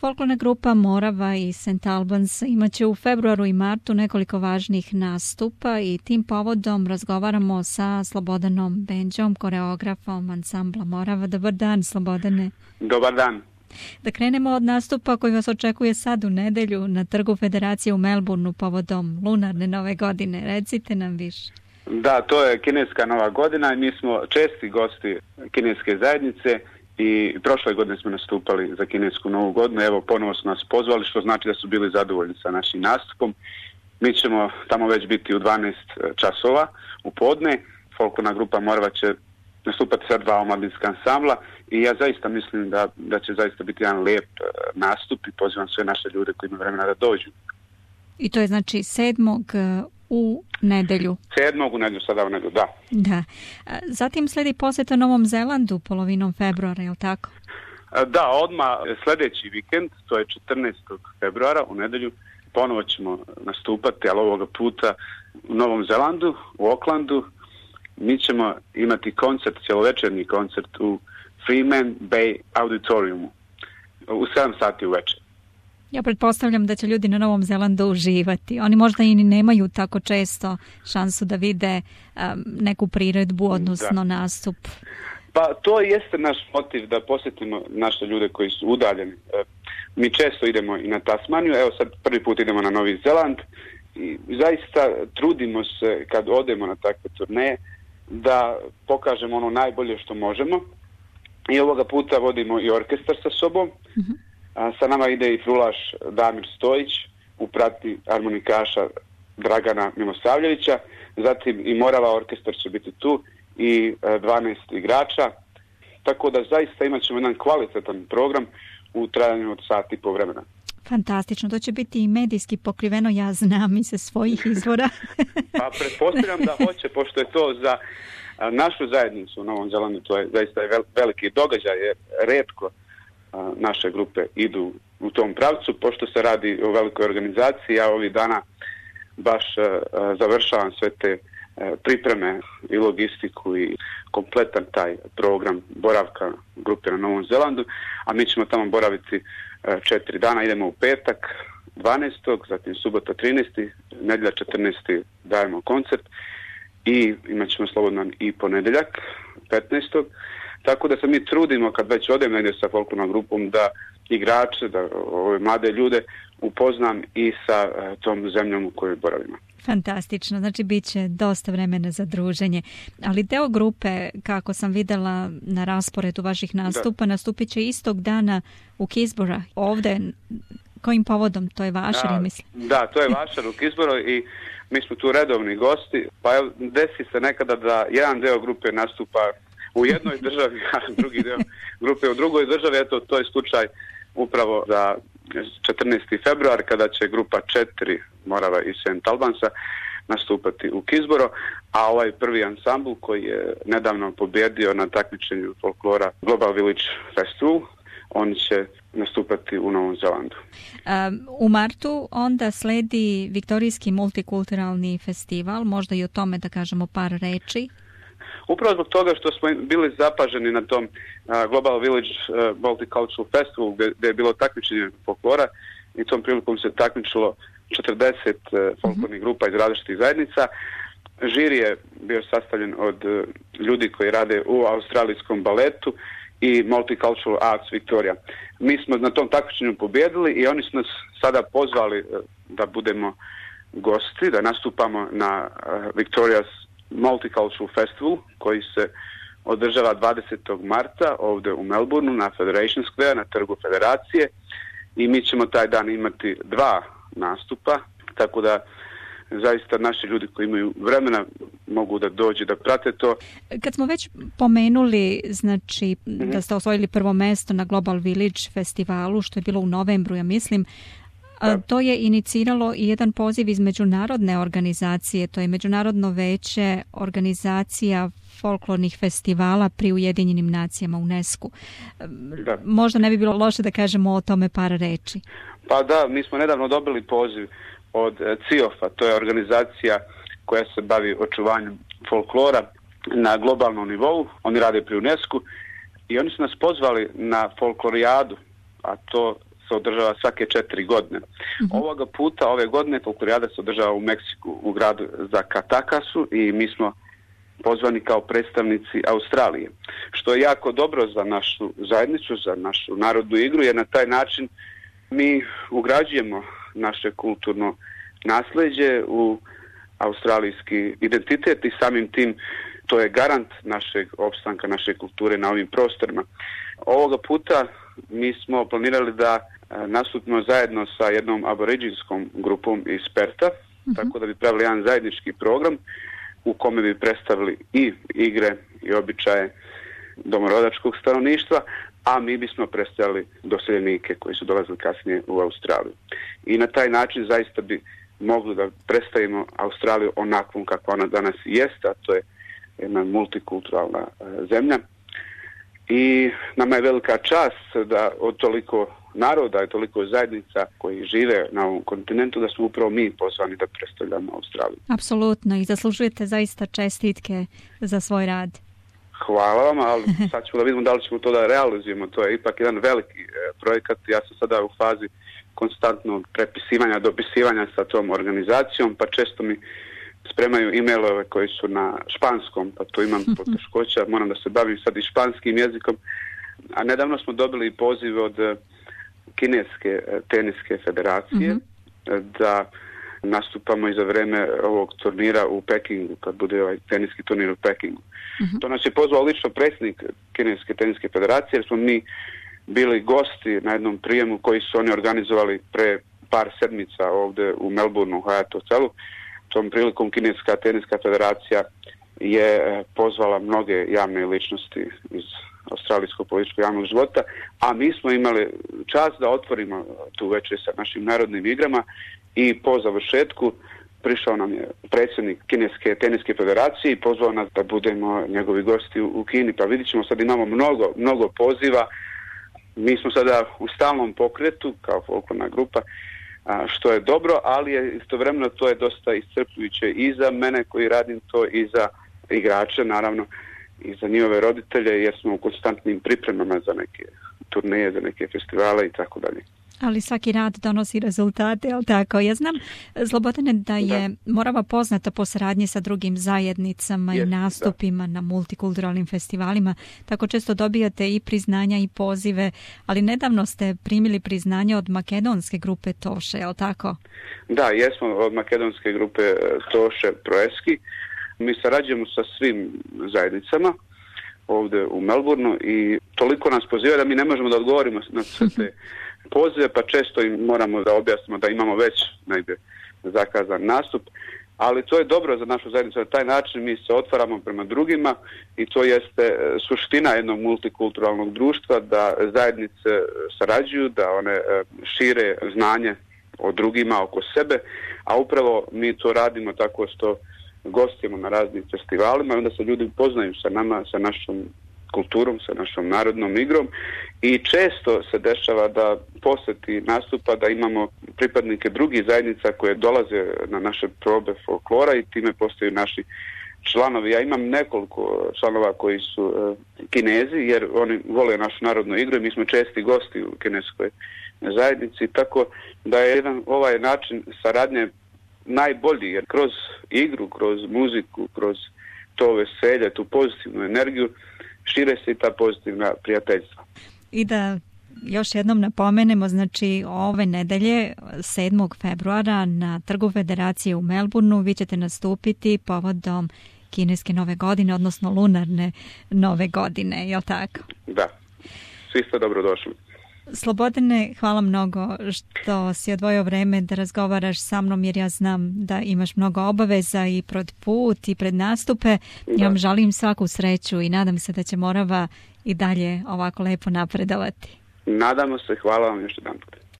Folklorna grupa Morava i St. Albans imaće u februaru i martu nekoliko važnih nastupa i tim povodom razgovaramo sa Slobodanom Benđom, koreografom ansambla Morava. Dobar dan, Slobodane. Dobar dan. Da krenemo od nastupa koji vas očekuje sad u nedelju na Trgu Federacije u Melbourneu povodom lunarne nove godine. Recite nam više. Da, to je kineska nova godina i mi smo česti gosti kineske zajednice i prošle godine smo nastupali za kinesku novu godinu. Evo, ponovo su nas pozvali, što znači da su bili zadovoljni sa našim nastupom. Mi ćemo tamo već biti u 12 časova u podne. Folklorna grupa Morava će nastupati sa 2 omladinska ansambla i ja zaista mislim da će zaista biti jedan lijep nastup i pozivam sve naše ljude koji imaju vremena da dođu. I to je znači 7. u nedelju. 7. u nedelju, sada u nedelju, da. Da. Zatim sledi posjeta Novom Zelandu polovinom februara, je li tako? Da, odmah sljedeći vikend, to je 14. februara u nedelju, ponovo ćemo nastupati, ali ovoga puta u Novom Zelandu, u Aucklandu. Mi ćemo imati koncert, cjelovečerni koncert u Freeman Bay Auditoriumu u 7 sati uvečer. Ja pretpostavljam da će ljudi na Novom Zelandu uživati. Oni možda i nemaju tako često šansu da vide neku priredbu, odnosno nastup. Pa to jeste naš motiv da posjetimo naše ljude koji su udaljeni. Mi često idemo i na Tasmaniju, evo sad prvi put idemo na Novi Zeland i zaista trudimo se kad odemo na takve turneje da pokažemo ono najbolje što možemo i ovoga puta vodimo i orkestar sa sobom. Sa nama ide i frulaš Damir Stojić u prati harmonikaša Dragana Milosavljevića, zatim i Morava orkestar će biti tu i 12 igrača, tako da zaista imat ćemo jedan kvalitetan program u trajanju od sati i po vremena. Fantastično, to će biti i medijski pokriveno, ja znam i sa svojih izvora. Pa pretpostavljam da hoće, pošto je to za našu zajednicu u Novom Zelandu, to je zaista veliki događaj, jer retko naše grupe idu u tom pravcu, pošto se radi o velikoj organizaciji. Ja ovih dana baš završavam sve te pripreme i logistiku i kompletan taj program boravka grupe na Novom Zelandu, a mi ćemo tamo boraviti 4 dana. Idemo u petak 12. zatim subota 13. nedjelja 14. dajemo koncert i imat ćemo slobodan i ponedjeljak 15. Tako da se mi trudimo kad već odem negdje sa folklornom grupom da igrače, da ove mlade ljude upoznam i sa tom zemljom u kojoj boravimo. Fantastično, znači bit će dosta vremena za druženje. Ali deo grupe, kako sam vidjela na rasporedu vaših nastupa, nastupit će istog dana u Keysborough. Ovdje, kojim povodom? To je Vašar, ja mislim. Da, to je Vašar u Keysborough i mi smo tu redovni gosti. Pa desi se nekada da jedan deo grupe nastupa u jednoj državi, a drugi deo grupe u drugoj državi. Eto, to je slučaj upravo za 14. februar kada će grupa 4 Morava i St. Albansa nastupati u Keysborough, a ovaj prvi ansambl koji je nedavno pobjedio na takmičenju folklora Global Village Festival, oni će nastupati u Novom Zelandu. U martu onda sledi Viktorijski multikulturalni festival, možda i o tome da kažemo par reči. Upravo zbog toga što smo bili zapaženi na tom Global Village Multicultural Festival gdje je bilo takmičenje folklora i tom prilikom se takmičilo 40 folklornih grupa iz različitih zajednica. Žiri je bio sastavljen od ljudi koji rade u australijskom baletu i Multicultural Arts Victoria. Mi smo na tom takmičenju pobjedili i oni su nas sada pozvali da budemo gosti, da nastupamo na Victoria's Multicultural Festival koji se održava 20. marta ovdje u Melbourneu na Federation Square, na Trgu Federacije, i mi ćemo taj dan imati 2 nastupa, tako da zaista naši ljudi koji imaju vremena mogu da dođu da prate to. Kad smo već pomenuli, znači, da ste osvojili prvo mjesto na Global Village festivalu, što je bilo u novembru, ja mislim, to je iniciralo i jedan poziv iz međunarodne organizacije, to je Međunarodno veće organizacija folklornih festivala pri Ujedinjenim nacijama, UNESCO. Možda ne bi bilo loše da kažemo o tome par reči. Pa da, mi smo nedavno dobili poziv od CIOF-a, to je organizacija koja se bavi očuvanjem folklora na globalnom nivou. Oni rade pri UNESCO i oni su nas pozvali na folklorijadu, a to se održava svake 4 godine. Ovoga puta, ove godine, folklorijada se održava u Meksiku, u gradu Zacatakasu i mi smo pozvani kao predstavnici Australije, što je jako dobro za našu zajednicu, za našu narodnu igru, jer na taj način mi ugrađujemo naše kulturno nasljeđe u australijski identitet i samim tim to je garant našeg opstanka, naše kulture na ovim prostorima. Ovoga puta mi smo planirali da nastupimo zajedno sa jednom aboriđinskom grupom iz Perta, tako da bi pravili jedan zajednički program u kome bi predstavili i igre i običaje domorodačkog stanovništva, a mi bismo predstavili doseljenike koji su dolazili kasnije u Australiju. I na taj način zaista bi mogli da predstavimo Australiju onakvom kakva ona danas jeste, a to je jedna multikulturalna zemlja. I nama je velika čast da od toliko naroda i toliko zajednica koji žive na ovom kontinentu, da smo upravo mi pozvani da predstavljamo Australiju. Apsolutno, i zaslužujete zaista čestitke za svoj rad. Hvala vam, ali sad ćemo da vidimo da li ćemo to da realizujemo. To je ipak jedan veliki projekat. Ja sam sada u fazi konstantnog prepisivanja, dopisivanja sa tom organizacijom, pa često mi spremaju e-mailove koji su na španskom, pa tu imam poteškoća, moram da se bavim sad i španskim jezikom. A nedavno smo dobili poziv od Kineske teniske federacije da nastupamo i za vreme ovog turnira u Pekingu, kad bude ovaj teniski turnir u Pekingu. To nas je pozvao lično predsjednik Kineske teniske federacije, jer smo mi bili gosti na jednom prijemu koji su oni organizovali pre par sedmica ovdje u Melbourneu, u Hayat hotelu. Tom prilikom Kineska teniska federacija je pozvala mnoge javne ličnosti iz australijskog političkog javnog života, a mi smo imali čast da otvorimo tu večer sa našim narodnim igrama i po završetku prišao nam je predsjednik Kineske teniske federacije i pozvao nas da budemo njegovi gosti u Kini. Pa vidit ćemo, sad imamo mnogo poziva. Mi smo sada u stalnom pokretu kao folklorna grupa, što je dobro, ali je istovremeno to je dosta iscrpljujuće i za mene koji radim to i za igrače, naravno, i za njihove roditelje, jer smo u konstantnim pripremama za neke turneje, za neke festivale i tako dalje. Ali svaki rad donosi rezultate, jel tako? Ja znam, Slobodane, da je Morava poznata po saradnji sa drugim zajednicama i nastupima na multikulturalnim festivalima. Tako često dobijate i priznanja i pozive, ali nedavno ste primili priznanje od makedonske grupe Toše, jel tako? Da, jesmo od makedonske grupe Toše Proeski. Mi sarađujemo sa svim zajednicama ovdje u Melbourneu i toliko nas poziva da mi ne možemo da odgovorimo na sve te pozive, pa često im moramo da objasnimo da imamo već negdje zakazan nastup, ali to je dobro za našu zajednicu. Na taj način mi se otvaramo prema drugima i to jeste suština jednog multikulturalnog društva, da zajednice sarađuju, da one šire znanje o drugima oko sebe, a upravo mi to radimo tako što gostimo na raznim festivalima i onda se ljudi upoznaju sa nama, sa našom kulturom, sa našom narodnom igrom i često se dešava da posjeti nastupa da imamo pripadnike drugih zajednica koje dolaze na naše probe folklora i time postaju naši članovi. Ja imam nekoliko članova koji su Kinezi, jer oni vole našu narodnu igru i mi smo česti gosti u kineskoj zajednici, tako da je jedan ovaj način saradnje najbolji, jer kroz igru, kroz muziku, kroz to veselje, tu pozitivnu energiju, šire se i ta pozitivna prijateljstva. I da još jednom napomenemo, znači ove nedelje 7. februara na Trgu Federacije u Melbourneu vi ćete nastupiti povodom kineske nove godine, odnosno lunarne nove godine, je li tako? Da, svi ste dobrodošli. Slobodane, hvala mnogo što si odvojio vreme da razgovaraš sa mnom, jer ja znam da imaš mnogo obaveza i pred put i pred nastupe. Ja vam želim svaku sreću i nadam se da će Morava i dalje ovako lepo napredovati. Nadamo se, hvala vam još jedan put.